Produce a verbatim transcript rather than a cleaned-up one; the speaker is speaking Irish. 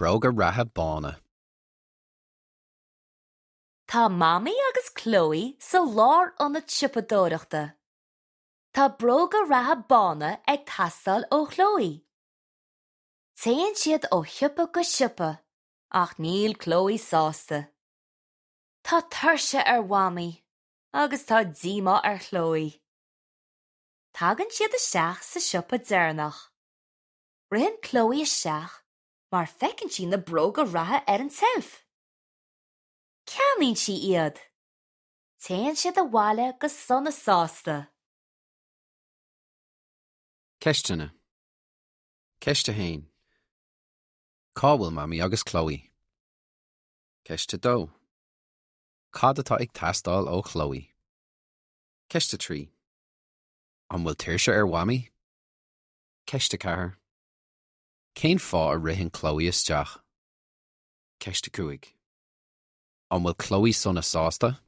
Bróga reatha bána. Tá Mamaí agus Chloe sa lárionad siopadóireachta. Tá bróga reatha bána ag teastáil ó Chloe. Téann siad ó shiopa go siopa, ach níl Chloe sásta. Tá tuirse ar Mhamaí agus tá díomá ar Chloe. Tagann siad isteach sa siopa deireanach. Ritheann Chloe isteach mar feiceann sí na bróga reatha ar an tseilf. Ceannaíonn sí iad. Téann siad abhaile go sona sásta. Ceisteanna. Ceist a haon. Cá bhfuil Mamaí agus Chloe? Ceist a dó. Cad atá ag teastáil ó Chloe? Ceist a trí. An bhfuil tuirse ar Mhamaí? Ceist a ceathair. Cén fáth a ritheann Chloe isteach? Ceist a cúig. An bhfuil Chloe sona sásta?